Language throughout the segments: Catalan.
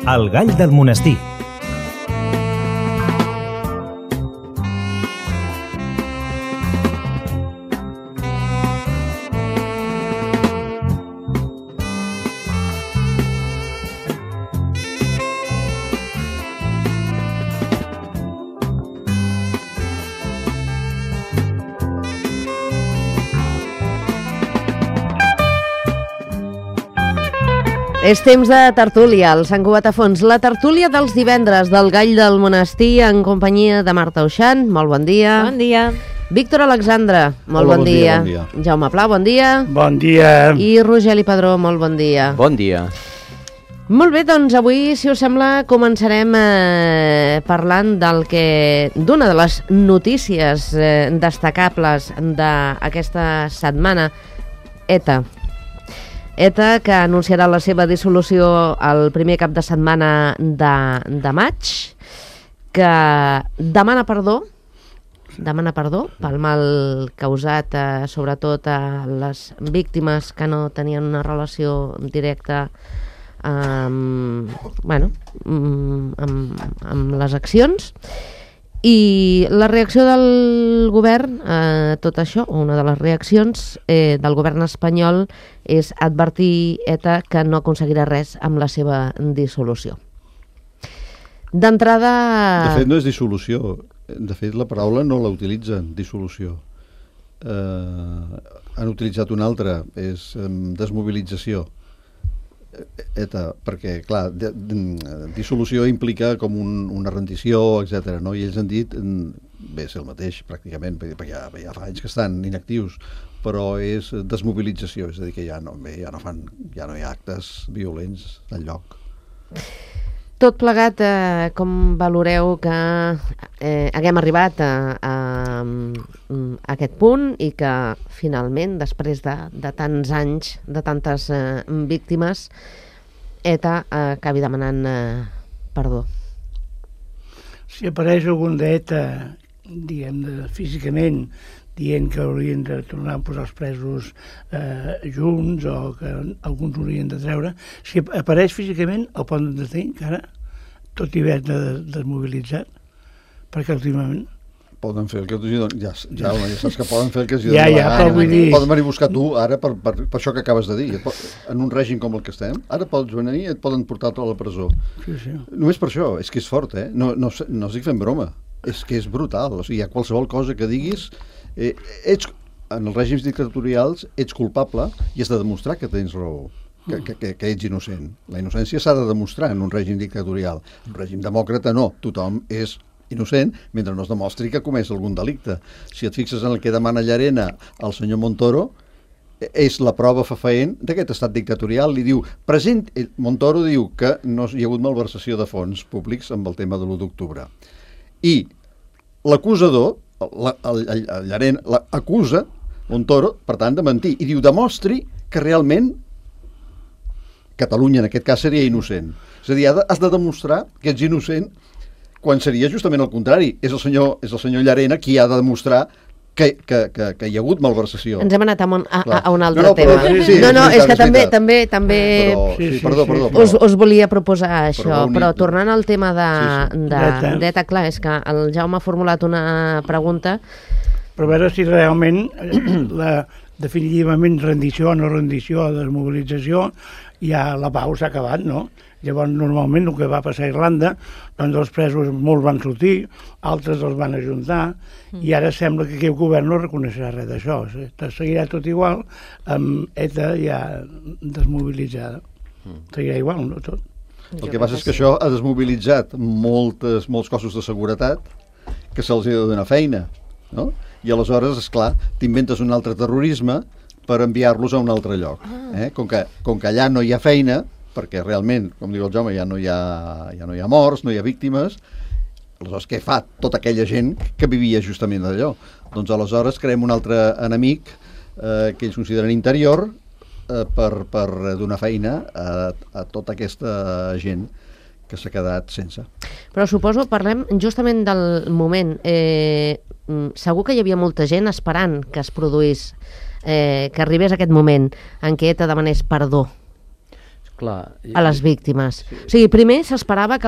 El gall del monestir. És temps de tertúlia, el Sant Cugat a fons. La tertúlia dels divendres del Gall del Monestir en companyia de Marta Uixant. Molt bon dia. Bon dia. Víctor Alexandre, molt Hola, bon dia. bon dia. Jaume Pla, bon dia. Bon dia. I Rogeli Padró, molt bon dia. Bon dia. Molt bé, doncs avui, si us sembla, començarem parlant d'una de les notícies destacables d'aquesta setmana, ETA, que anunciarà la seva dissolució el primer cap de setmana de maig, que demana perdó pel mal causat sobretot a les víctimes que no tenien una relació directa amb les accions. I la reacció del govern a tot això, una de les reaccions del govern espanyol, és advertir ETA que no aconseguirà res amb la seva dissolució. D'entrada... De fet, no és dissolució. De fet, la paraula no la utilitzen, dissolució. Han utilitzat una altra, és desmobilització. ETA, perquè, clar, dissolució implica com una rendició, etc. No? I ells han dit, bé, és el mateix, pràcticament, perquè ja fa anys que estan inactius, però és desmobilització, és a dir, que ja no hi ha actes violents enlloc. Tot plegat, com valoreu que haguem arribat a aquest punt i que finalment, després de tants anys, de tantes víctimes, ETA acabi demanant perdó? Si apareix algun d'ETA, diguem-ne, físicament, dient que haurien de tornar a posar els presos junts o que alguns haurien de treure, si apareix físicament el poden detenir encara, tot i haver-ne desmobilitzat, perquè últimament... Poden fer el que els donen, ja saps que poden fer el que els donen però vull dir... Poden venir a buscar tu ara per això que acabes de dir. En un règim com el que estem, ara pots venir i et poden portar a la presó. Sí. Només per això, és que és fort, no estic fent broma. És que és brutal, o sigui, qualsevol cosa que diguis... en els règims dictatorials ets culpable i has de demostrar que tens raó, que ets innocent. La innocència s'ha de demostrar en un règim dictatorial. En un règim demòcrata no, tothom és innocent mentre no es demostri que ha comès algun delicte. Si et fixes en el que demana Llarena al senyor Montoro, és la prova fefaent d'aquest estat dictatorial. Li diu, Montoro diu que no hi ha hagut malversació de fons públics amb el tema de l'1 d'octubre. I l'acusador, Llarena, acusa Montoro, per tant, de mentir. I diu, demostri que realment Catalunya, en aquest cas, seria innocent. És a dir, has de demostrar que ets innocent quan seria justament el contrari. És el senyor Llarena qui ha de demostrar que hi ha hagut malversació. Ens hem anat a un altre tema. És que també Perdó. Us volia proposar això, però tornant al tema d'ETA, clar, és que el Jaume ha formulat una pregunta. Però a veure si realment definitivament rendició o no rendició o desmobilització, ja la pau s'ha acabat, no? Llavors, normalment, el que va passar a Irlanda, doncs els presos molts van sortir, altres els van ajuntar, i ara sembla que aquest govern no reconeixerà res d'això. Seguirà tot igual, amb ETA ja desmobilitzada. Seguirà igual, no tot? El que passa és que això ha desmobilitzat molts cossos de seguretat que se'ls ha de donar feina, no? I aleshores, esclar, t'inventes un altre terrorisme per enviar-los a un altre lloc. Com que allà no hi ha feina, perquè realment, com diu el Jaume, ja no hi ha morts, no hi ha víctimes, aleshores què fa tota aquella gent que vivia justament d'allò? Doncs aleshores creem un altre enemic que ells consideren interior per donar feina a tota aquesta gent que s'ha quedat sense. Però suposo, parlem justament del moment. Segur que hi havia molta gent esperant que es produís, que arribés aquest moment en què ETA demanés perdó. Clar, a les víctimes. Sí. O sigui, primer s'esperava que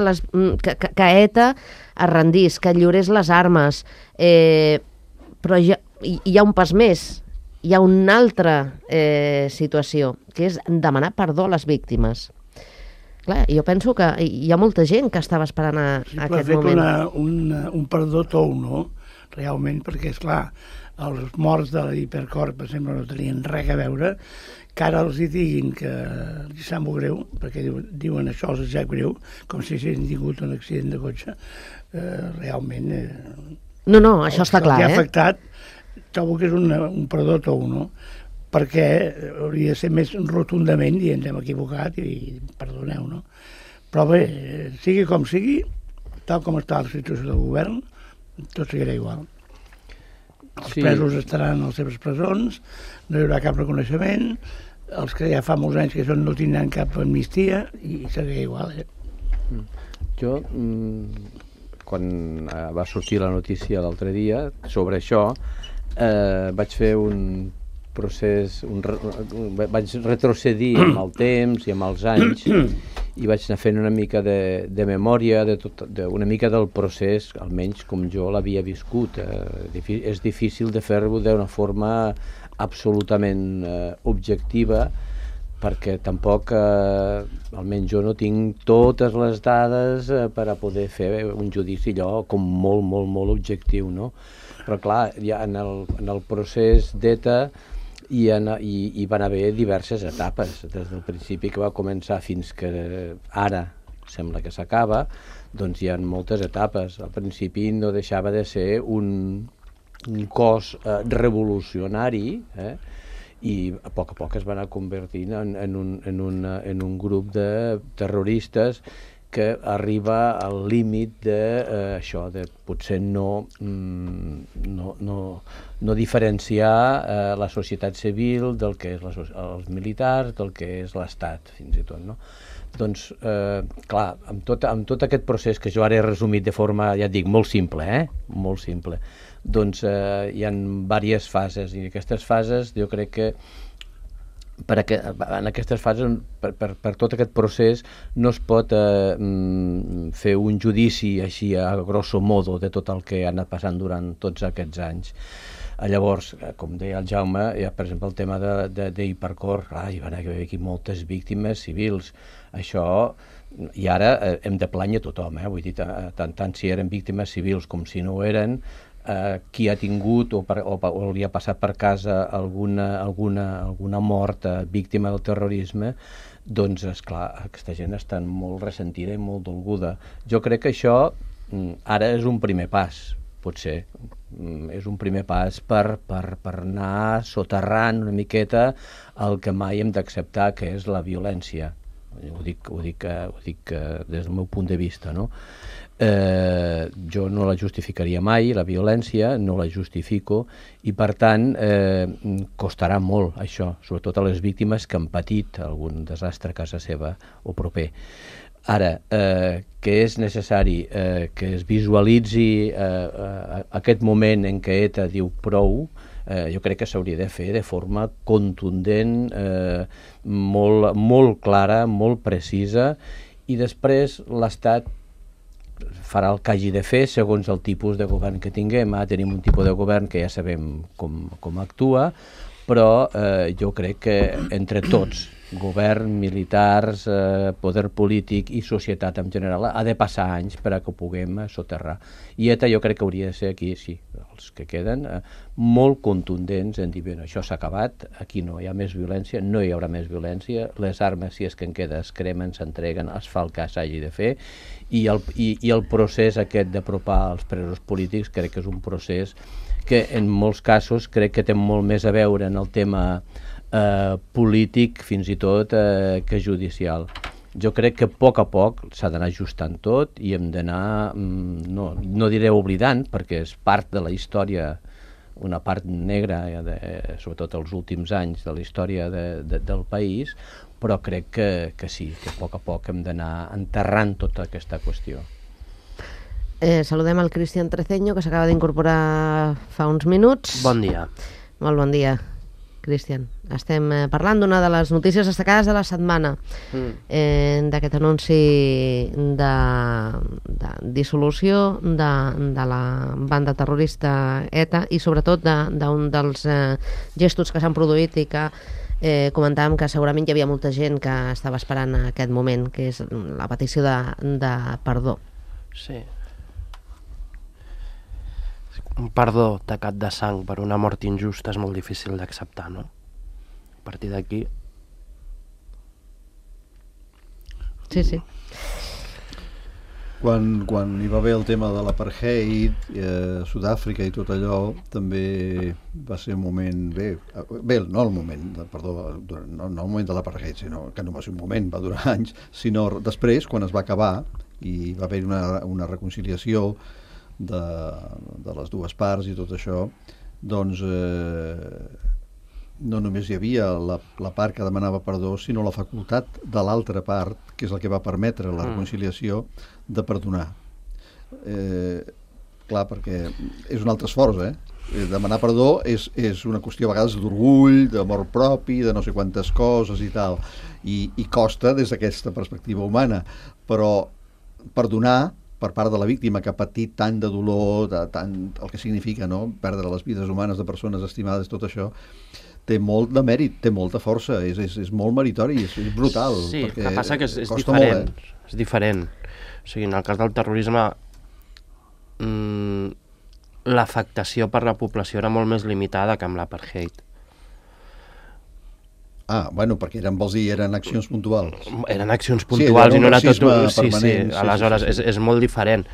ETA es rendís, que lliurés les armes, però hi ha un pas més, hi ha una altra situació, que és demanar perdó a les víctimes. Clar, jo penso que hi ha molta gent que estava esperant aquest moment. Un perdó tou, no? Realment, perquè, esclar, els morts de l'Hipercor, per exemple, no tenien res a veure, que ara els hi diguin que els sap molt greu, perquè diuen això els sap greu, com si s'hagin tingut un accident de cotxe, realment... No, això està clar, ha afectat, trobo que és un perdó tou, no? Perquè hauria de ser més rotundament i ens hem equivocat i perdoneu, no? Però bé, sigui com sigui, tal com està la situació del govern, tot seguirà igual. Els presos estaran a les seves presons, no hi haurà cap reconeixement, els que ja fa molts anys que no tindran cap amnistia i seguirà igual. Jo, quan va sortir la notícia l'altre dia sobre això, vaig fer un procés, vaig retrocedir amb el temps i amb els anys i vaig anar fent una mica de memòria una mica del procés, almenys com jo l'havia viscut. És difícil de fer-ho d'una forma absolutament objectiva, perquè tampoc, almenys jo no tinc totes les dades per a poder fer un judici allò com molt, molt, molt objectiu, no? Però clar, ja en el procés d'ETA hi van haver diverses etapes, des del principi que va començar fins que ara sembla que s'acaba, doncs hi ha moltes etapes. Al principi no deixava de ser un cos revolucionari, i a poc es va anar convertint en un grup de terroristes que arriba al límit d'això, de potser no diferenciar la societat civil del que és els militars, del que és l'Estat, fins i tot, no? Doncs, clar, amb tot aquest procés que jo ara he resumit de forma, ja et dic, molt simple, molt simple, doncs hi ha diverses fases, i aquestes fases jo crec que en aquestes fases, per tot aquest procés, no es pot fer un judici així a grosso modo de tot el que ha anat passant durant tots aquests anys. Llavors, com deia el Jaume, per exemple, el tema d'Hipercor, hi van haver aquí moltes víctimes civils. Això, i ara hem de plànyer tothom, vull dir, tant si eren víctimes civils com si no ho eren, qui ha tingut o li ha passat per casa alguna mort víctima del terrorisme, doncs, esclar, aquesta gent està molt ressentida i molt dolguda. Jo crec que això ara és un primer pas, potser. És un primer pas per anar soterrant una miqueta el que mai hem d'acceptar, que és la violència. Ho dic des del meu punt de vista, no? Jo no la justificaria mai, la violència, no la justifico, i per tant costarà molt això, sobretot a les víctimes que han patit algun desastre a casa seva o proper. Ara, que és necessari que es visualitzi aquest moment en què ETA diu prou, jo crec que s'hauria de fer de forma contundent, molt clara, molt precisa, i després l'Estat farà el que hagi de fer segons el tipus de govern que tinguem. Tenim un tipus de govern que ja sabem com actua, però jo crec que entre tots, govern, militars, poder polític i societat en general, ha de passar anys per a que ho puguem soterrar. I ETA jo crec que hauria de ser aquí, sí, els que queden, molt contundents en dir, bueno, això s'ha acabat, aquí no hi ha més violència, no hi haurà més violència, les armes, si és que en queda, es cremen, s'entreguen, es fa el que s'hagi de fer, i el procés aquest d'apropar els presos polítics crec que és un procés que en molts casos crec que té molt més a veure en el tema polític fins i tot que judicial. Jo crec que a poc s'ha d'anar ajustant tot i hem d'anar, no diré oblidant, perquè és part de la història, una part negra, sobretot els últims anys de la història del país, però crec que sí, que a poc hem d'anar enterrant tota aquesta qüestió. Saludem el Cristian Treceño, que s'acaba d'incorporar fa uns minuts. Bon dia. Molt bon dia. Cristian. Estem parlant d'una de les notícies destacades de la setmana, d'aquest anunci de dissolució de la banda terrorista ETA i sobretot d'un dels gestos que s'han produït i que comentàvem que segurament hi havia molta gent que estava esperant aquest moment, que és la petició de perdó. Sí. Un perdó tacat de sang per una mort injusta és molt difícil d'acceptar, no? A partir d'aquí... Sí, sí. Quan hi va haver el tema de l'apartheid, Sud-àfrica i tot allò, també va ser un moment... Bé, no el moment, perdó, no el moment de l'apartheid, sinó que no va ser un moment, va durar anys, sinó després, quan es va acabar, i va haver una reconciliació de les dues parts i tot això, doncs no només hi havia la part que demanava perdó, sinó la facultat de l'altra part, que és el que va permetre la reconciliació, de perdonar. Clar, perquè és un altre esforç, demanar perdó és una qüestió a vegades d'orgull, d'amor propi, de no sé quantes coses i tal, i costa des d'aquesta perspectiva humana, però perdonar per part de la víctima que ha patit tant de dolor, tant el que significa, no?, perdre les vides humanes de persones estimades, tot això, té molt de mèrit, té molta força, és molt meritori, és brutal. Sí, el que passa que és diferent, és diferent. O sigui, en el cas del terrorisme, l'afectació per la població era molt més limitada que amb l'apartheid. Bueno, perquè eren accions puntuals. Eren accions puntuals i no era tot... Sí, aleshores és molt diferent.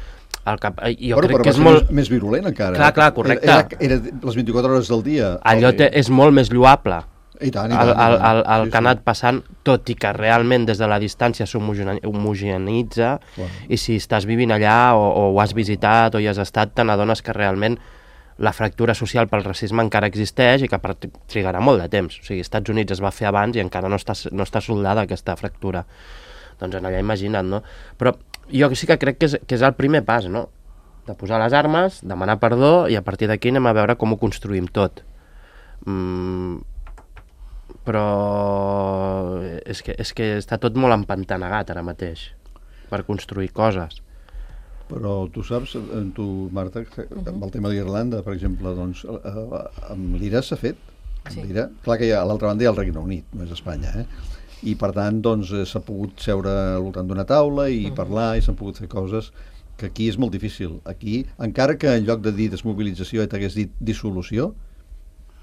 Jo crec que és molt més virulent encara. Clar, correcte. Era les 24 hores del dia. Allò és molt més lloable. I tant. El que ha anat passant, tot i que realment des de la distància s'homogeneïtza, i si estàs vivint allà o ho has visitat o hi has estat, te n'adones que realment la fractura social pel racisme encara existeix i que trigarà molt de temps. O sigui, als Estats Units es va fer abans i encara no està soldada aquesta fractura. Doncs en allà imagina't, no? Però jo sí que crec que és el primer pas, no? De posar les armes, demanar perdó i a partir d'aquí anem a veure com ho construïm tot. Però és que està tot molt empantanegat ara mateix per construir coses. Però tu saps, Marta, amb el tema d'Irlanda, per exemple, doncs, amb l'IRA s'ha fet. Sí. Clar que a l'altra banda hi ha el Regne Unit, no és Espanya, i per tant doncs, s'ha pogut seure al voltant d'una taula i parlar i s'han pogut fer coses que aquí és molt difícil. Aquí, encara que en lloc de dir desmobilització t'hagués dit dissolució,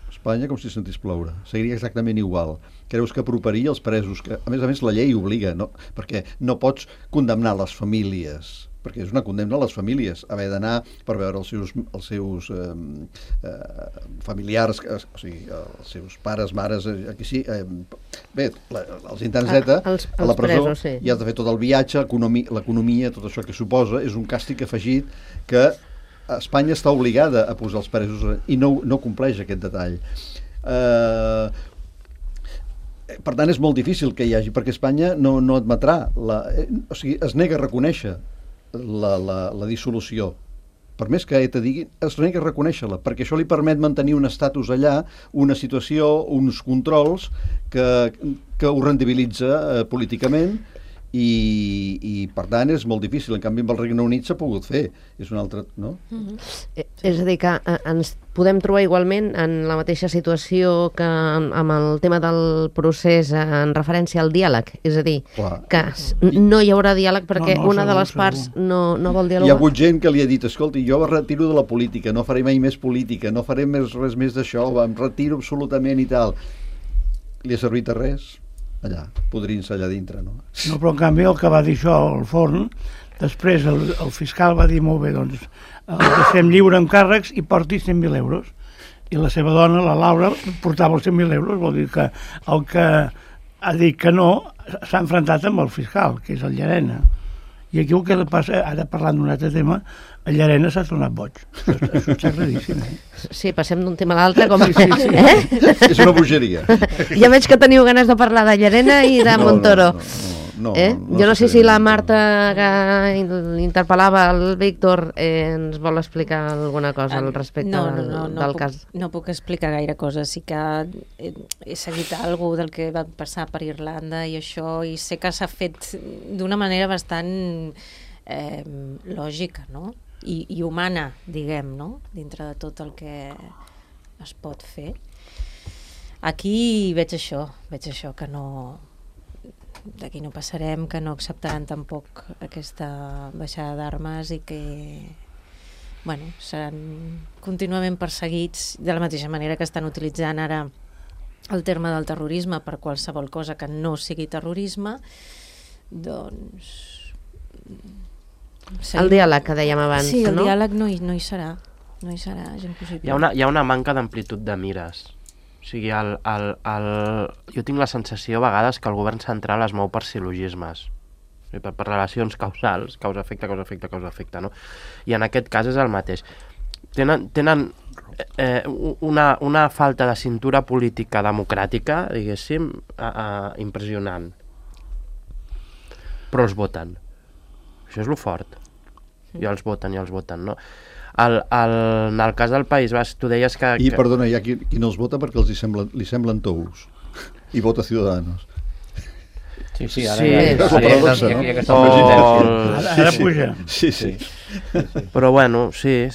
Espanya com si sentís ploure. Seguiria exactament igual. Creus que aproparia els presos? Que, a més, la llei obliga, no? Perquè no pots condemnar les famílies, perquè és una condemna a les famílies, haver d'anar per veure els seus familiars, o sigui, els seus pares, mares, aquí sí, bé, els interns ETA, a la presó, presos, sí. I has de fer tot el viatge, l'economia, tot això que suposa, és un càstig afegit que Espanya està obligada a posar els presos i no compleix aquest detall. Per tant, és molt difícil que hi hagi, perquè Espanya no admetrà, o sigui, es nega a reconèixer la dissolució. Per més que ETA digui, es nega a reconèixer-la, perquè això li permet mantenir un estatus allà, una situació, uns controls que ho rendibilitza políticament i per tant és molt difícil. En canvi amb el Regne Unit s'ha pogut fer, és un altre, no? És a dir, que ens podem trobar igualment en la mateixa situació que amb el tema del procés en referència al diàleg, és a dir, que no hi haurà diàleg perquè una de les parts no vol dialogar. Hi ha hagut gent que li ha dit, escolti, jo em retiro de la política, no faré mai més política, no faré res més d'això, em retiro absolutament i tal. Li ha servit a res? Allà, podrint-se allà dintre, no? No, però en canvi el que va dir això al Forn, després el fiscal va dir molt bé, doncs, el deixem lliure amb càrrecs i porti 100.000 euros. I la seva dona, la Laura, portava els 100.000 euros, vol dir que el que ha dit que no s'ha enfrontat amb el fiscal, que és el Llarena. I aquí el que passa, ara parlant d'un altre tema, el Llarena s'ha tornat boig. Això és sagradíssim, Sí, passem d'un tema a l'altre com... Sí. És una bogeria. Ja veig que teniu ganes de parlar de Llarena i de Montoro. No. Jo no sé si la Marta que interpel·lava el Víctor ens vol explicar alguna cosa al respecte del cas. No puc explicar gaire cosa. Sí que he seguit alguna del que va passar per Irlanda i això, i sé que s'ha fet d'una manera bastant lògica, no? I humana, diguem, no? Dintre de tot el que es pot fer. Aquí veig això que no, d'aquí no passarem, que no acceptaran tampoc aquesta baixada d'armes i que seran contínuament perseguits de la mateixa manera que estan utilitzant ara el terme del terrorisme per qualsevol cosa que no sigui terrorisme. Doncs el diàleg que dèiem abans, sí, el no? diàleg no hi serà, és impossible. Hi ha una manca d'amplitud de mires. O sigui, jo tinc la sensació a vegades que el govern central es mou per silogismes, per relacions causals, causa-efecte, no? I en aquest cas és el mateix. Tenen una falta de cintura política democràtica, diguéssim, impressionant. Però els voten. Això és lo fort. I els voten, no? En el cas del País Basc, tu deies que... I, perdona, hi ha qui no els vota perquè li semblen tous. I vota Ciudadanos. Sí, ara sí. Hi ha aquesta presidència. Ara puja. Sí. Però bueno, sí.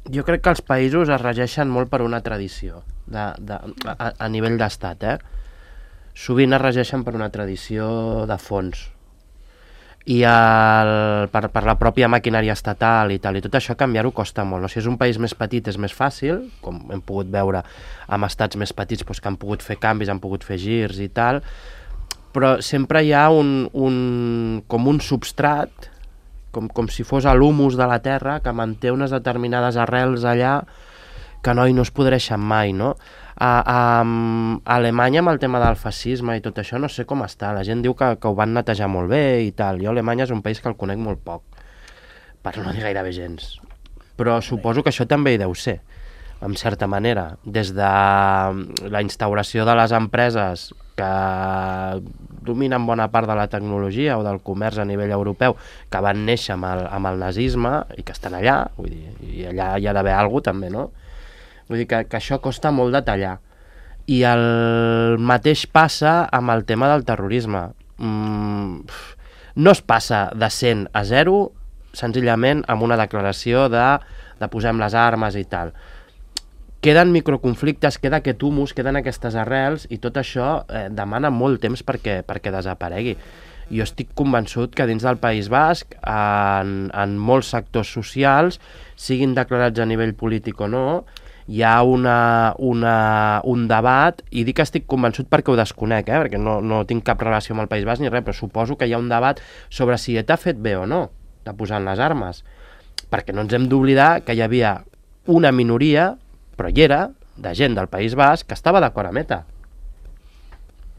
Jo crec que els països es regeixen molt per una tradició a nivell d'estat, Sovint es regeixen per una tradició de fons. I per la pròpia maquinària estatal i tal, i tot això canviar-ho costa molt. Si és un país més petit és més fàcil, com hem pogut veure amb estats més petits que han pogut fer canvis, han pogut fer girs i tal, però sempre hi ha com un substrat, com si fos l'humus de la terra, que manté unes determinades arrels allà que no es podreixen mai, no? A Alemanya, amb el tema del fascisme i tot això, no sé com està. La gent diu que ho van netejar molt bé i tal. Jo Alemanya és un país que el conec molt poc, per no dir gairebé gens. Però suposo que això també hi deu ser, en certa manera. Des de la instauració de les empreses que dominen bona part de la tecnologia o del comerç a nivell europeu, que van néixer amb el nazisme i que estan allà, vull dir, i allà hi ha d'haver alguna cosa també, no? Vull dir que això costa molt de tallar. I el mateix passa amb el tema del terrorisme. No es passa de 100 a 0 senzillament amb una declaració de posem les armes i tal. Queden microconflictes, queda aquest humus, queden aquestes arrels, i tot això demana molt temps perquè desaparegui. Jo estic convençut que dins del País Basc, en molts sectors socials, siguin declarats a nivell polític o no, hi ha un debat, i dic que estic convençut perquè ho desconec, perquè no tinc cap relació amb el País Basc ni res, però suposo que hi ha un debat sobre si ETA ha fet bé o no de posar les armes, perquè no ens hem d'oblidar que hi havia una minoria, però hi era, de gent del País Basc que estava d'acord amb ETA.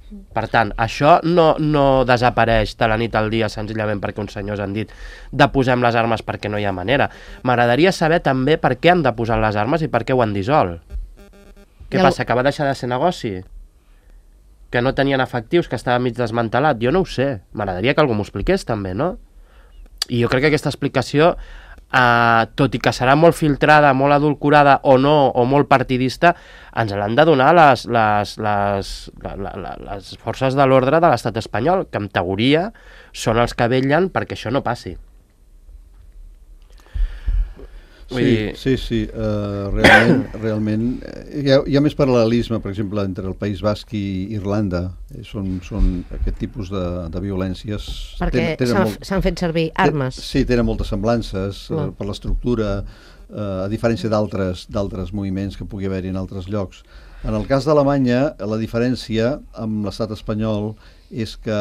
Per tant, això no desapareix de la nit al dia senzillament perquè uns senyors han dit de posem les armes perquè no hi ha manera. M'agradaria saber també per què han de posar les armes i per què ho han dissolt. Què passa, que va deixar de ser negoci? Que no tenien efectius, que estava mig desmantelat? Jo no ho sé. M'agradaria que algú m'ho expliqués també, no? I jo crec que aquesta explicació, tot i que serà molt filtrada, molt adulcorada o no, o molt partidista, ens l'han de donar les forces de l'ordre de l'estat espanyol, que en teoria són els que vetllen perquè això no passi. Sí, realment hi ha més paral·lelisme, per exemple, entre el País Basc i Irlanda. Són aquest tipus de violències. Perquè s'han fet servir armes. Sí, tenen moltes semblances per l'estructura, a diferència d'altres moviments que pugui haver-hi en altres llocs. En el cas d'Alemanya, la diferència amb l'estat espanyol és que,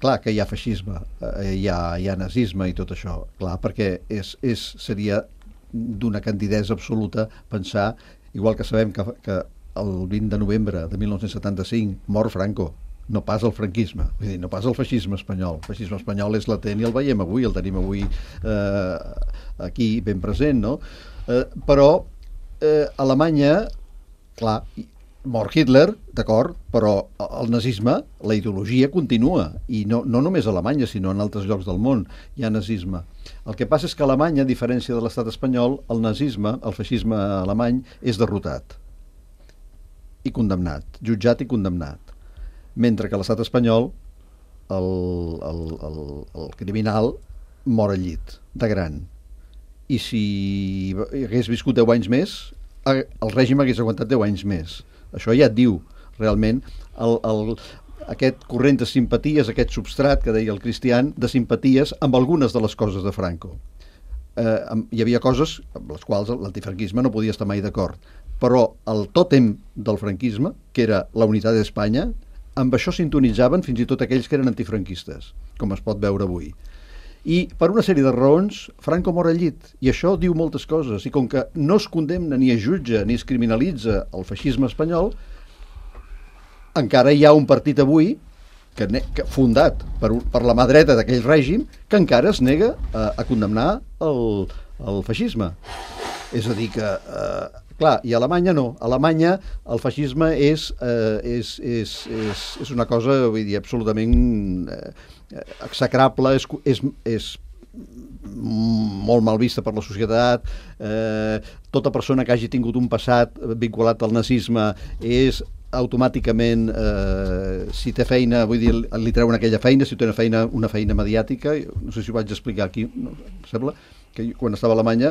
clar, que hi ha feixisme, hi ha nazisme i tot això, clar, perquè seria d'una candidesa absoluta pensar, igual que sabem que el 20 de novembre de 1975 mor Franco, no pas el franquisme, vull dir, no pas el feixisme espanyol. El feixisme espanyol és latent i el veiem avui, el tenim avui aquí ben present, no? Però Alemanya, clar, mor Hitler, d'acord, però el nazisme, la ideologia continua, i no només a Alemanya, sinó en altres llocs del món hi ha nazisme. El que passa és que a Alemanya, a diferència de l'estat espanyol, el nazisme, el feixisme alemany, és derrotat i condemnat, jutjat i condemnat. Mentre que a l'estat espanyol el criminal mor al llit, de gran. I si hagués viscut 10 anys més, el règim hagués aguantat 10 anys més. Això ja et diu, realment, aquest corrent de simpaties, aquest substrat que deia el Cristian, de simpaties amb algunes de les coses de Franco. Hi havia coses amb les quals l'antifranquisme no podia estar mai d'acord, però el tòtem del franquisme, que era la unitat d'Espanya, amb això sintonitzaven fins i tot aquells que eren antifranquistes, com es pot veure avui. I per una sèrie de raons, Franco mor al llit, i això diu moltes coses, i com que no es condemna, ni es jutja, ni es criminalitza el feixisme espanyol, encara hi ha un partit avui que fundat per la mà dreta d'aquell règim, que encara es nega a condemnar el feixisme. És a dir que, clar, i a Alemanya no. A Alemanya el feixisme és una cosa, vull dir, absolutament execrable, és molt mal vista per la societat. Tota persona que hagi tingut un passat vinculat al nazisme és automàticament, si té feina, vull dir, li treuen aquella feina, si té una feina mediàtica. No sé si ho vaig explicar aquí, no? Sembla que quan estava a Alemanya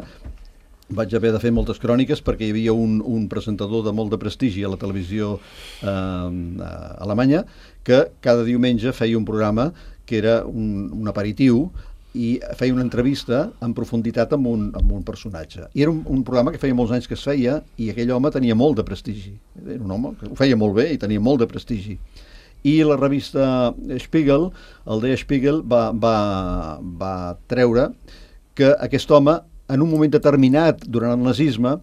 vaig haver de fer moltes cròniques perquè hi havia un presentador de molt de prestigi a la televisió alemanya que cada diumenge feia un programa que era un aperitiu i feia una entrevista en profunditat amb un personatge. I era un programa que feia molts anys que es feia i aquell home tenia molt de prestigi. Era un home que ho feia molt bé i tenia molt de prestigi. I la revista Spiegel, el Der Spiegel, va treure que aquest home, en un moment determinat durant el nazisme,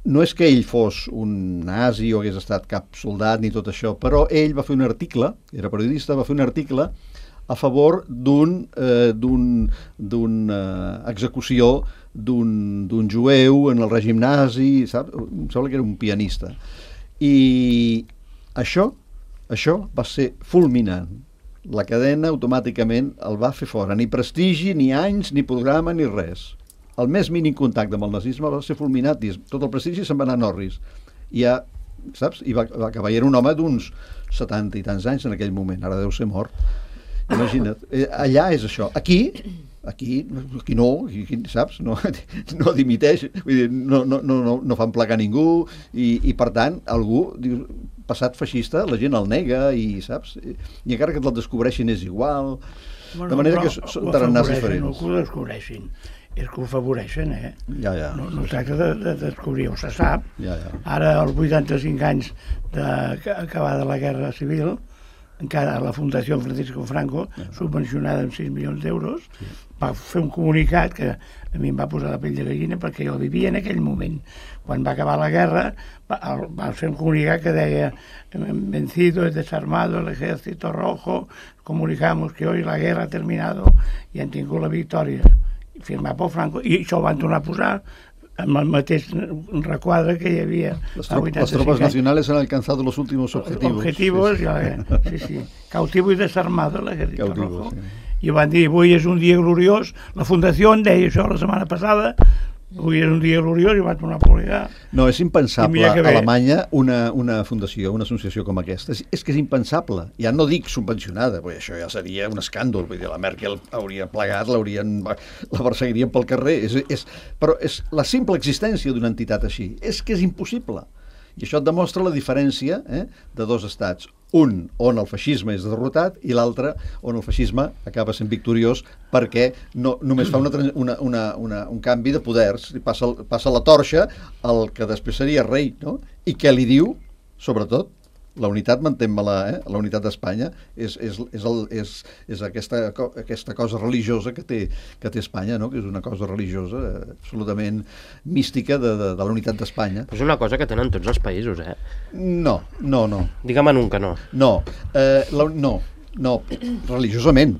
no és que ell fos un nazi o hagués estat cap soldat ni tot això, però ell va fer un article, era periodista, va fer un article a favor d'una execució d'un jueu en el règim nazi, saps? Em sembla que era un pianista. I això va ser fulminant. La cadena automàticament el va fer fora. Ni prestigi, ni anys, ni programa, ni res. El més mínim contacte amb el nazisme va ser fulminat. Tot el prestigi se'n va anar a Norris. I ja, saps? I va acabar. I era un home d'uns 70 i tants anys en aquell moment. Ara deu ser mort. Imagina't, allà és això. Aquí no, saps? No dimiteix, vull dir, no fan plegar ningú i per tant, algú diu, passat feixista, la gent el nega i saps? I encara que te'l descobreixin és igual. De manera que són tarannars diferents. No que ho descobreixin, és que ho afavoreixen, Ja. No tracta de descobrir-ho, se sap. Ja. Ara, als 85 anys d'acabada la Guerra Civil, encara la Fundació Francisco Franco, subvencionada amb 6 milions d'euros, va fer un comunicat que a mi em va posar la pell de gallina perquè jo vivia en aquell moment. Quan va acabar la guerra, va fer un comunicat que deia vencido, desarmado el ejército rojo, comunicamos que hoy la guerra ha terminado i han tingut la victòria. Firmat per Franco, i això ho van tornar a posar amb el mateix requadre que hi havia. Las tropas nacionales han alcanzado los últimos objetivos. Sí. Cautivo y desarmado el ejército rojo. Sí. I van dir, avui és un dia gloriós. La Fundació en deia això la setmana passada. Avui és un dia gloriós i van tornar a publicar. No, és impensable a Alemanya una fundació, una associació com aquesta. És que és impensable. Ja no dic subvencionada, perquè això ja seria un escàndol. Vull dir, la Merkel hauria plegat, la perseguirien pel carrer. Però és la simple existència d'una entitat així. És que és impossible. I això et demostra la diferència de dos estats. Un on el feixisme és derrotat i l'altre on el feixisme acaba sent victoriós perquè només fa un canvi de poders, passa la torxa al que després seria rei, no? I què li diu? Sobretot, la unitat, mantén-me-la, la unitat d'Espanya és aquesta cosa religiosa que té Espanya, no? Que és una cosa religiosa absolutament mística de la unitat d'Espanya. És una cosa que tenen tots els països, No. Digue'm en un que no. No, religiosament.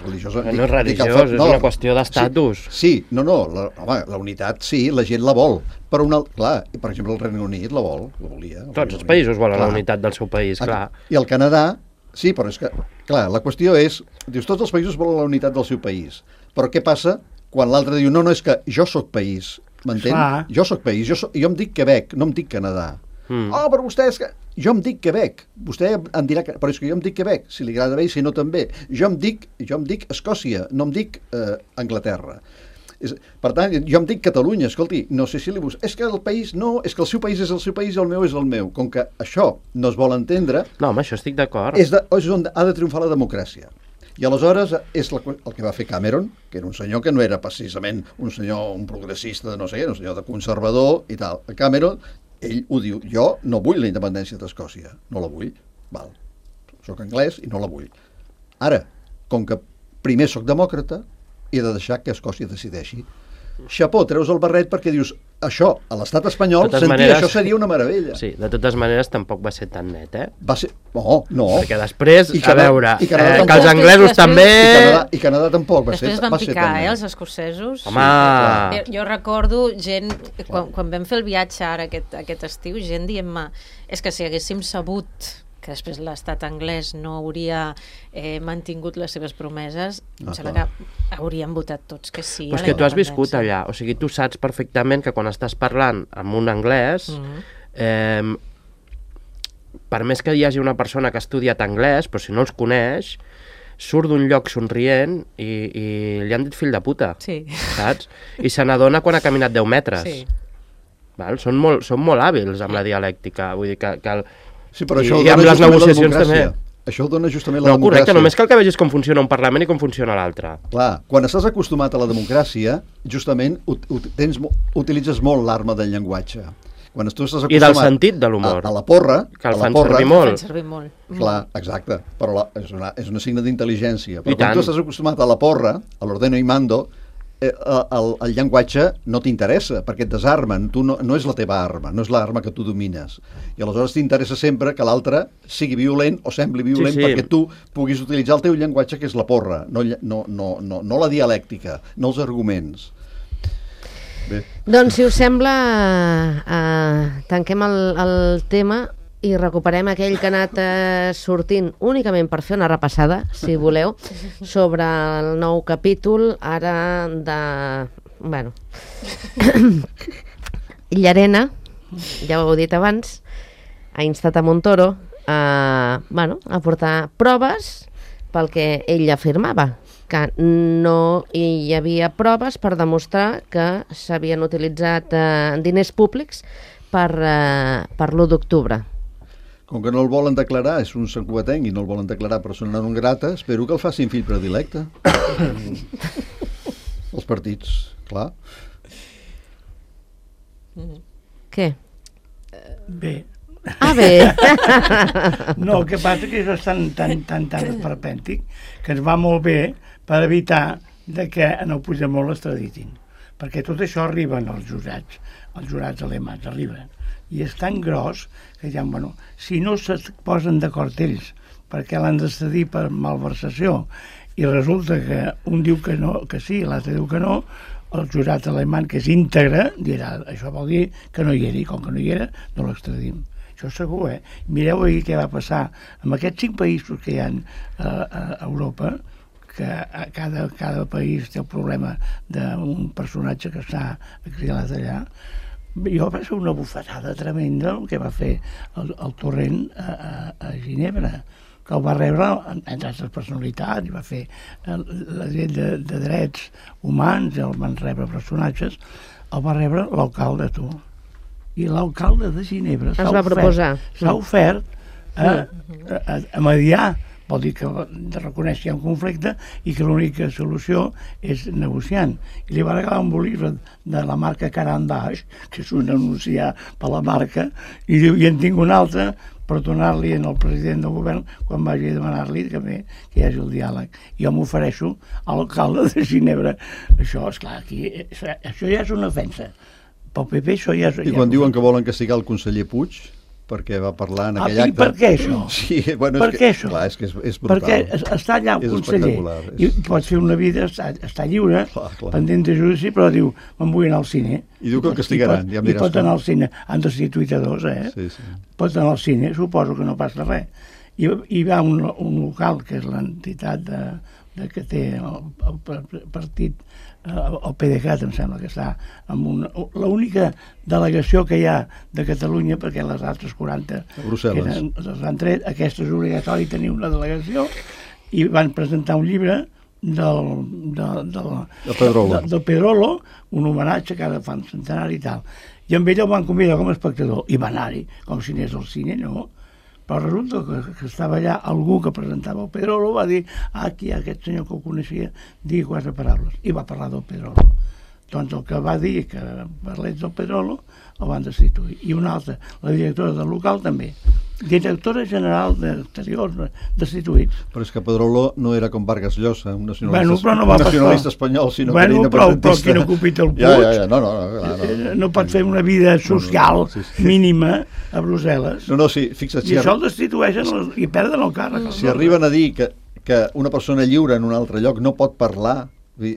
religiós... No és religiós, és una qüestió d'estatus. Sí, la unitat, sí, la gent la vol. Però, clar, per exemple, el Regne Unit la volia. Tots els països volen la unitat del seu país, clar. I el Canadà, sí, però és que, clar, la qüestió és, dius, tots els països volen la unitat del seu país. Però què passa quan l'altre diu, no, és que jo sóc país, m'entén? Jo sóc país, jo em dic Quebec, no em dic Canadà. Oh, però vostè és que... Jo em dic Quebec, vostè em dirà que... Però és que jo em dic Quebec, si li agrada bé i si no també. Jo em dic Escòcia, no em dic Anglaterra. Per tant, jo em dic Catalunya, escolti, no sé si li busco... És que el país, no, és que el seu país és el seu país i el meu és el meu. Com que això no es vol entendre... No, amb això estic d'acord. És on ha de triomfar la democràcia. I aleshores és el que va fer Cameron, que era un senyor que no era precisament un progressista de no sé què, un senyor de conservador i tal. Cameron, ell ho diu, jo no vull la independència d'Escòcia, no la vull, val. Soc anglès i no la vull. Ara, com que primer soc demòcrata, he de deixar que Escòcia decideixi. Xapó, treus el barret perquè dius, això, a l'estat espanyol, això seria una meravella. Sí, de totes maneres tampoc va ser tan net, eh? Va ser... No. Perquè després, a veure, que els anglesos també... I Canadà tampoc va ser tan net. Després van picar, els escocesos. Home! Jo recordo gent, quan vam fer el viatge ara aquest estiu, gent dient-me, és que si haguéssim sabut que després l'estat anglès no hauria mantingut les seves promeses, em sembla que hauríem votat tots que sí. Però és que tu has viscut allà, o sigui, tu saps perfectament que quan estàs parlant amb un anglès, per més que hi hagi una persona que ha estudiat anglès, però si no els coneix, surt d'un lloc somrient i li han dit fill de puta, saps? I se n'adona quan ha caminat 10 metres. Sí. Val? Són molt hàbils amb la dialèctica, vull dir que sí, però això i amb les negociacions també. Això dona justament la democràcia. No, correcte, només cal que vegis com funciona un Parlament i com funciona l'altre. Clar, quan estàs acostumat a la democràcia, justament utilitzes molt l'arma del llenguatge. Quan tu estàs acostumat... I del sentit de l'humor. A la porra... Que el fan servir molt. Clar, exacte, però és una signe d'intel·ligència. Però quan tu estàs acostumat a la porra, a l'ordeno i mando, el llenguatge no t'interessa, perquè et desarmen, no és la teva arma, no és l'arma que tu domines. I aleshores t'interessa sempre que l'altre sigui violent o sembli violent perquè tu puguis utilitzar el teu llenguatge, que és la porra, no la dialèctica, no els arguments. Bé. Doncs, si us sembla, tanquem el tema i recuperem aquell que ha anat sortint únicament per fer una repassada, si voleu, sobre el nou capítol, ara de... Bueno... Llarena, ja ho heu dit abans, ha instat a Montoro a portar proves pel que ell afirmava, que no hi havia proves per demostrar que s'havien utilitzat diners públics per l'1 d'octubre. Com que no el volen declarar, és un santcugatenc i no el volen declarar persona non grata, espero que el facin fill predilecte. Els partits, clar. Què? Bé. Bé. No, el que passa que és tan esperpèntic que ens va molt bé per evitar que en el Puigdemont l'extraditin. Perquè tot això arriba als jurats alemans, arriben. I és tan gros que ja, si no se posen d'acord ells perquè l'han d'extradir per malversació i resulta que un diu que no, que sí, l'altre diu que no, el jurat alemany, que és íntegre, dirà, això vol dir que no hi era, i com que no hi era, no l'extradim. Això segur, Mireu ahir què va passar amb aquests 5 països que hi ha a Europa, que cada país té el problema d'un personatge que s'ha exilat allà. Jo va ser una bufetada tremenda el que va fer el Torrent a Ginebra, que el va rebre, entre altres personalitats, i va fer la llei de drets humans, el van rebre personatges, el va rebre l'alcalde, tu. I l'alcalde de Ginebra s'ha ofert a mediar. Vol dir que reconeix que hi ha un conflicte i que l'única solució és negociant. I li va regalar un bolígraf de la marca Caran d'Aix, que és un anunciar per la marca, i diu, i en tinc un altre per donar-li al president del govern quan vagi a demanar-li que hi hagi el diàleg. Jo m'ofereixo a l'alcalde de Ginebra. Això, esclar, aquí, això ja és una ofensa. Pel PP això ja és... I quan diuen que volen castigar el conseller Puig, perquè va parlar en Ah, aquell i acte. per què això? Sí, bueno, Per és què que, això? clar, és que és brutal. Perquè està allà un És conseller espectacular, i pot fer una vida, està lliure, Clar, clar. pendent de judici, però diu, me'n vull anar al cine. I diu que el castigaran, ja em I diràs pot com. anar al cine. Han destituït a dos, Sí, sí. Pot anar al cine, suposo que no passa res. I va a un local, que és l'entitat que té el partit, el PDeCAT, em sembla que està amb l'única delegació que hi ha de Catalunya, perquè les altres 40 Brussel·les. les han tret, aquesta és obligatori tenir una delegació, i van presentar un llibre del Pedrolo, un homenatge que ara fan centenari i tal. I amb ell el van convidar com a espectador, i va anar-hi, com si anés al cine, no? Però resulta que estava allà algú que presentava el Pedrolo, va dir, aquí hi ha aquest senyor que ho coneixia, digui 4 paraules, i va parlar del Pedrolo. Doncs el que va dir que parlés del Pedrolo el van destituir. I una altra, la directora del local també. Directora general d'Exteriors, destituïts. Però és que Pedrolo no era com Vargas Llosa, un nacionalista, espanyol, sinó que era però independentista. qui no ocupita el Puig Ja, no. no pot fer una vida social mínima a Brussel·les. No, sí, fixa't. I això el destitueixen i perden el càrrec. Si arriben a dir que una persona lliure en un altre lloc no pot parlar, tu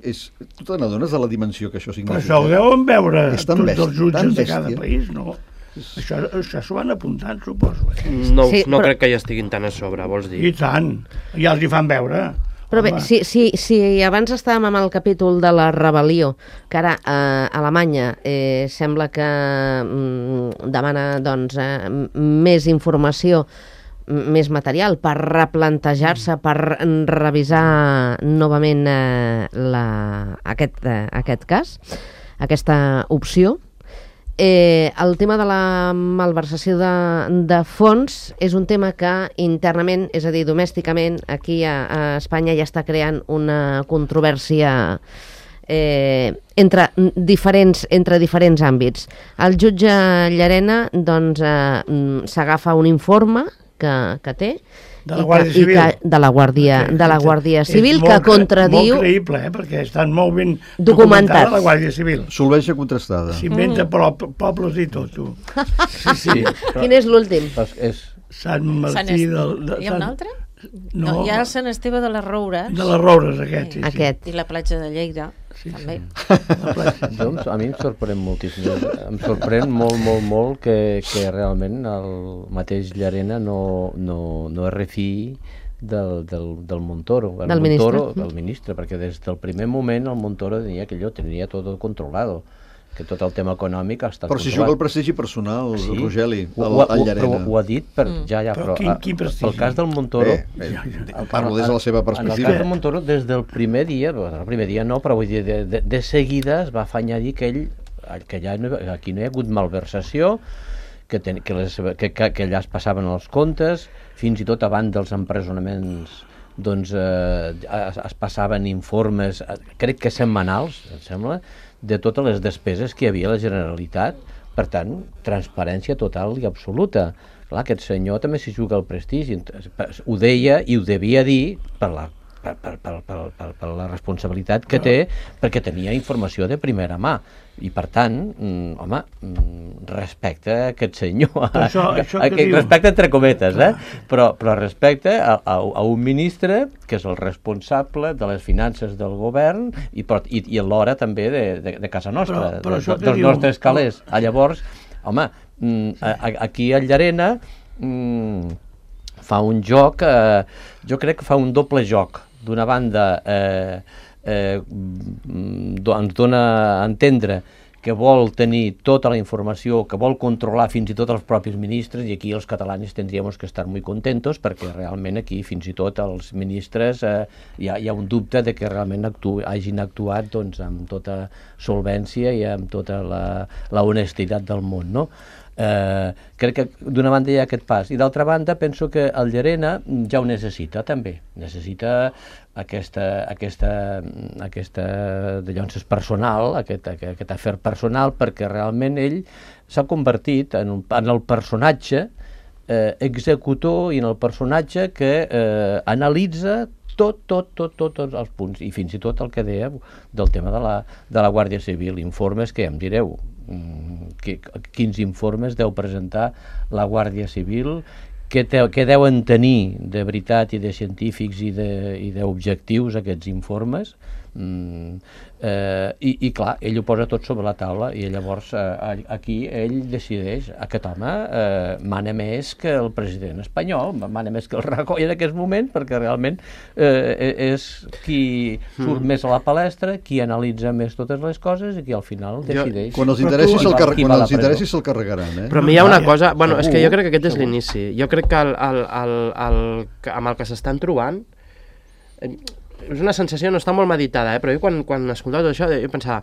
te n'adones de la dimensió que això significa? Però això ho deuen veure És tan tots bèstia, els jutges tan de cada bèstia. país, no? Això s'ho van apuntant, suposo. No, Sí, no però- crec que hi estiguin tan a sobre, vols I dir? tant, ja els hi fan veure. Però bé, Home. si abans estàvem amb el capítol de la rebel·lió, que ara Alemanya sembla que demana doncs, més informació, més material per replantejar-se, per revisar novament aquest cas, aquesta opció. El tema de la malversació de fons és un tema que internament, és a dir, domèsticament, aquí a Espanya ja està creant una controvèrsia entre diferents àmbits. El jutge Llarena doncs, s'agafa un informe que té De la Guàrdia Civil. de la Guàrdia Civil, que És contradiu... molt creïble, perquè estan molt ben Documentats. la Guàrdia Civil. Solvència contrastada. S'inventa pobles i tot, tu. Sí, Quin és l'últim? Sant Martí Hi ha un altre? No, hi ha el Sant Esteve de les Roures. de les Roures, aquest. Sí, Aquest. I la platja de Lleida, també. Doncs a mi em sorprèn moltíssim. Em sorprèn molt que realment el mateix Llarena no es refiï del Montoro. Del ministre. Del ministre, perquè des del primer moment el Montoro tenia que allò tenia tot controlado, que tot el tema econòmic ha estat Però si controlat. juga el prestigi personal, Sí. Rogeli, Però al Llarena. ho ha dit per... Però quin prestigi? pel cas del Montoro... Parlo des de la seva En el perspectiva. cas del Montoro, des del primer dia, el primer dia no, però vull dir, de seguida es va afanyar a dir que aquí no hi ha hagut malversació, que allà es passaven els comptes, fins i tot abans dels empresonaments doncs es passaven informes, crec que setmanals, em sembla, de totes les despeses que hi havia a la Generalitat. Per tant, transparència total i absoluta. Clar, aquest senyor també s'hi juga el prestigi. Ho deia i ho devia dir per la responsabilitat que té, perquè tenia informació de primera mà. I per tant, home, respecte a aquest senyor. Això que diu... Respecte entre cometes, però respecte a un ministre que és el responsable de les finances del govern i alhora també de casa nostra, dels nostres calés. Llavors, home, aquí a Llarena fa un joc, jo crec que fa un doble joc. D'una banda, ens dona a entendre que vol tenir tota la informació, que vol controlar fins i tot els propis ministres, i aquí els catalans tindríem que estar molt contentos, perquè realment aquí fins i tot els ministres hi ha un dubte de que realment hagin actuat doncs, amb tota solvència i amb tota la honestitat del món, no? Crec que d'una banda hi ha aquest pas, i d'altra banda penso que el Llarena ja ho necessita també, necessita aquesta dallonses personal, aquest afer personal, perquè realment ell s'ha convertit en el personatge executor i en el personatge que analitza tots els punts, i fins i tot el que dèiem del tema de la Guàrdia Civil, informes que, ja em direu, quins informes deu presentar la Guàrdia Civil, què deuen tenir de veritat i de científics i d'objectius aquests informes, i clar, ell ho posa tot sobre la taula i llavors aquí ell decideix, aquest home mana més que el president espanyol, mana més que el Rajoy en aquest moment, perquè realment és qui surt més a la palestra, qui analitza més totes les coses i qui al final decideix. Quan els interessi se'l carregaran. Però a mi hi ha una cosa, bueno, és que jo crec que aquest és l'inici. Jo crec que amb el que s'estan trobant és una sensació, no està molt meditada, però jo quan escoltava tot això, jo pensava,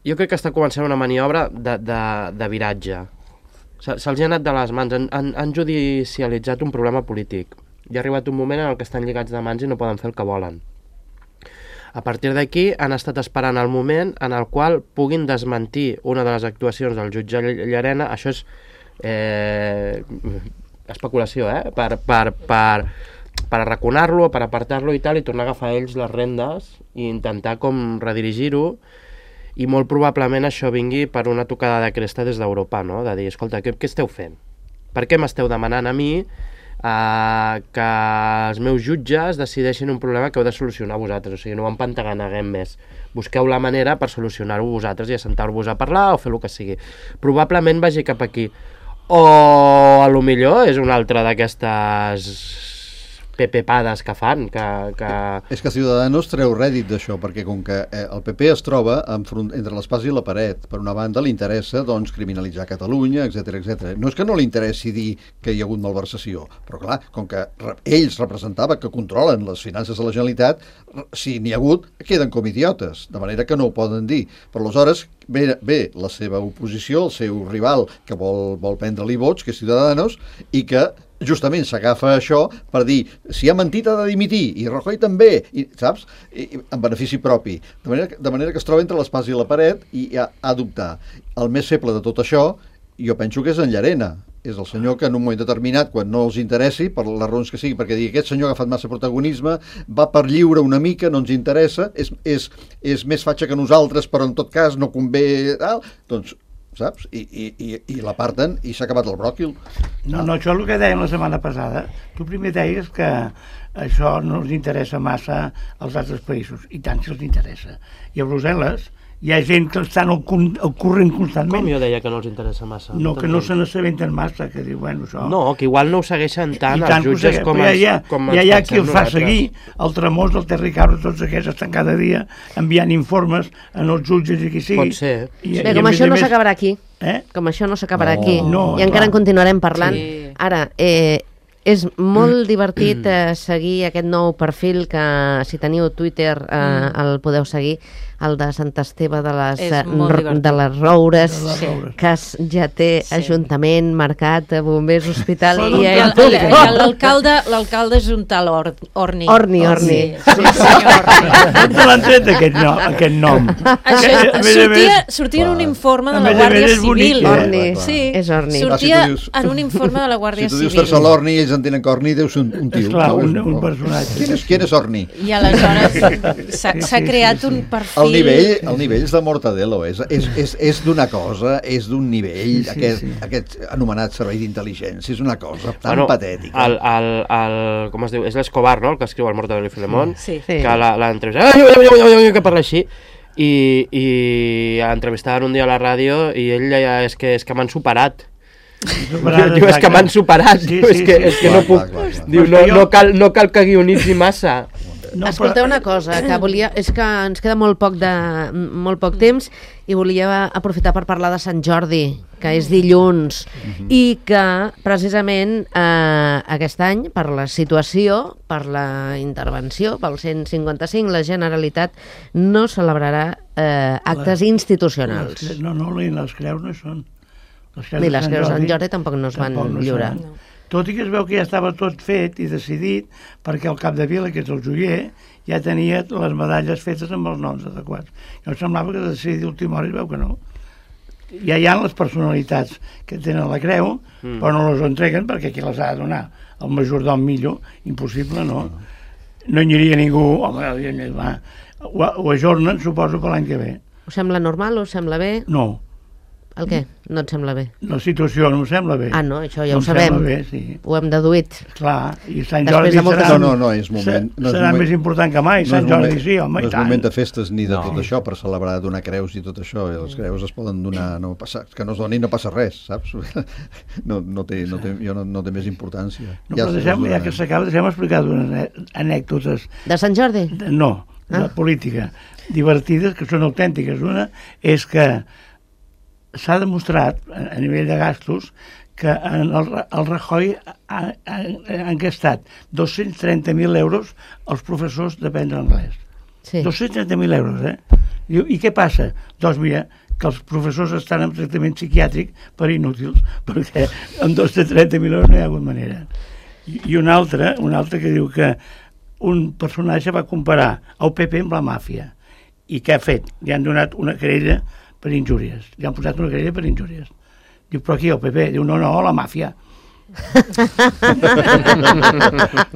jo crec que està començant una maniobra de viratge. Se'ls ha anat de les mans, han judicialitzat un problema polític. Hi ha arribat un moment en què estan lligats de mans i no poden fer el que volen. A partir d'aquí han estat esperant el moment en el qual puguin desmentir una de les actuacions del jutge Llarena. Això és especulació, per arraconar-lo, per apartar-lo i tal, i tornar a agafar ells les rendes i intentar com redirigir-ho, i molt probablement això vingui per una tocada de cresta des d'Europa, no? De dir, escolta, què esteu fent? Per què m'esteu demanant a mi que els meus jutges decideixin un problema que heu de solucionar vosaltres? O sigui, no ho empantaneguem més. Busqueu la manera per solucionar-ho vosaltres i assentar-vos a parlar o fer el que sigui. Probablement vagi cap aquí. O a lo millor és una altra d'aquestes pepepades que fan, És que Ciudadanos treu rèdit d'això, perquè com que el PP es troba entre l'espasa i la paret, per una banda li interessa doncs, criminalitzar Catalunya, etc. No és que no li interessi dir que hi ha hagut malversació, però clar, com que ells representava que controlen les finances de la Generalitat, si n'hi ha hagut, queden com idiotes, de manera que no ho poden dir. Però aleshores ve la seva oposició, el seu rival, que vol prendre-li vots, que és Ciudadanos, i que justament s'agafa això per dir si ha mentit ha de dimitir, i Rajoy també, saps? En benefici propi. De manera que es troba entre l'espasa i la paret i ha d'optar. El més feble de tot això, jo penso que és en Llarena. És el senyor que en un moment determinat, quan no els interessi, per les raons que sigui, perquè digui aquest senyor ha agafat massa protagonisme, va per lliure una mica, no ens interessa, és més fatxa que nosaltres, però en tot cas no convé, doncs saps? I l'aparten i s'ha acabat el bròquil. No, això és el que dèiem la setmana passada. Tu primer deies que això no els interessa massa als altres països, i tant si els interessa. I a Brussel·les hi ha gent que estan al corrent constantment. Com jo deia que no els interessa massa? No, que no se n'assabenten massa, que diu, bueno, això... No, que igual no ho segueixen tant els jutges com ens hi ha qui els fa seguir, el Tramós, el Terri Cabra, tots aquests estan cada dia enviant informes a els jutges i qui sigui. Pot ser. Bé, com això no s'acabarà aquí. Com això no s'acabarà aquí. I encara en continuarem parlant. Ara, és molt divertit seguir aquest nou perfil que, si teniu Twitter, el podeu seguir, el de Sant Esteve de les Roures, Cas Jater, Ajuntament, Mercat, Bombers, Hospital... I l'alcalde és un tal Orni. Orni. Sí, senyor. On l'han tret aquest nom? Sortia en un informe de la Guàrdia Civil. Orni, és Orni. Sortia en un informe de la Guàrdia Civil. Si tu dius fer-se l'Orni i ells entenen que Orni deu ser un tio. Esclar, un personatge. Qui és Orni? I aleshores s'ha creat un perfil... El nivell és de Mortadelo, és d'una cosa, és d'un nivell, aquest anomenat servei d'intel·ligència, és una cosa tan patètica. Com es diu? És l'Escobar, no?, el que escriu el Mortadelo i Filemón, que l'entrevista... que parla així, i entrevistaven un dia a la ràdio i ell deia, és que m'han superat. Diu, és que m'han superat, és que no puc. Diu, no cal que guionitzi massa. Escolteu una cosa, que volia, és que ens queda molt poc temps i volia aprofitar per parlar de Sant Jordi, que és dilluns, i que precisament aquest any, per la situació, per la intervenció, pel 155, la Generalitat no celebrarà actes institucionals. No, les creus no són. Ni les creus de Sant Jordi tampoc no es van lliurar. Tot i que es veu que ja estava tot fet i decidit, perquè el cap de vila, que és el joier, ja tenia les medalles fetes amb els noms adequats. Jo em semblava que de decidir d'última hora es veu que no. Ja hi ha les personalitats que tenen la creu, però no les entreguen perquè qui les ha de donar? El majordom Millo, impossible, no? No hi aniria ningú, home, ho ajornen, suposo, per l'any que ve. Us sembla normal? Us sembla bé? No, El què? No et sembla bé? La situació no em sembla bé. Ah, no, això ja No ho em sembla sabem. bé, sí. Ho hem deduït. Clar, i Sant Després Jordi de moltes- serà, No, és moment. No és serà moment. més important que mai. Sant Jordi sí, home, no i és tant. moment de festes ni de No. tot això per celebrar, donar creus i tot això. I les creus es poden donar, no passa, que no es donin no passa res, saps? No té més importància. No, però ja que s'acaba, deixem explicar unes anècdotes. De Sant Jordi? No, de política. Divertides, que són autèntiques. Una és que s'ha demostrat, a nivell de gastos, que en el Rajoy han gastat 230.000 euros als professors d'aprendre anglès. Sí. 230.000 euros, Diu, i què passa? Doncs mira, que els professors estan en tractament psiquiàtric per inútils, perquè amb 230.000 euros no hi ha hagut manera. I un altre que diu que un personatge va comparar el PP amb la màfia. I què ha fet? Li han donat una querella per injúries. Li han posat una querella per injúries. Diu, però aquí el PP? Diu, no, la màfia.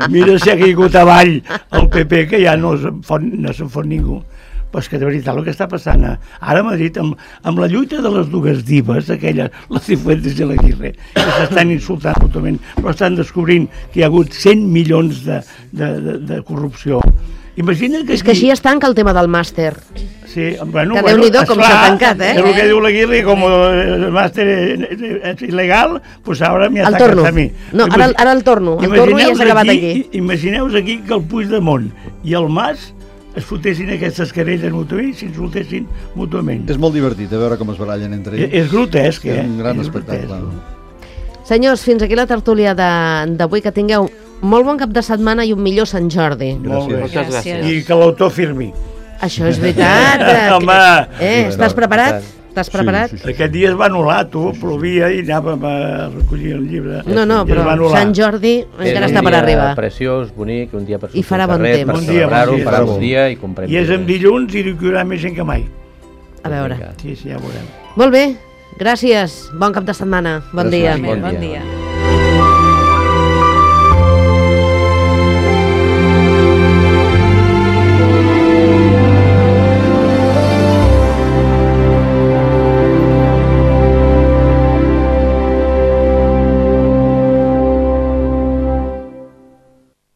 Mira si ha caigut avall el PP, que ja no se'n fot ningú. Però és que de veritat el que està passant ara a Madrid, amb la lluita de les dues divas, aquelles, la Cifuentes i l'Aguirre, que s'estan insultant totalment, però estan descobrint que hi ha hagut 100 milions de corrupció. Imagina't que És que així es tanca el tema del màster. Sí, bueno, Que Déu-n'hi-do com s'ha tancat, És el que diu l'Aguirre, com el màster és il·legal, pues ara m'hi El ataques torno. a mi. No, ara el torno. El torno i ja s'ha acabat aquí. Imagineu-vos aquí que el Puigdemont i el Mas es fotessin aquestes querelles mútuament i s'insultessin mútuament. És molt divertit a veure com es barallen entre ells. És grotesc, És un gran És espectacle. grotesc. Senyors, fins aquí la tertúlia d'avui. Que tingueu molt bon cap de setmana i un millor Sant Jordi. Molt bé. Moltes gràcies. I que l'autor firmi. Això és veritat. Home! Estàs preparat? Estàs preparat? Sí. Aquest dia es va anul·lar, tu, plovia i anàvem a recollir el llibre. No, I es però va anul·lar. Sant Jordi encara està per arribar. Preciós, bonic, un dia per sortir I farà al bon carrer, temps. per Bon dia, celebrar-ho, bon dia. farà bon dia i comprem. I és en dilluns i hi haurà més gent que mai. A veure. Sí, ja ho veurem. Molt bé, gràcies. Bon cap de setmana. Bon Gràcies. dia. Bon Bon dia. dia.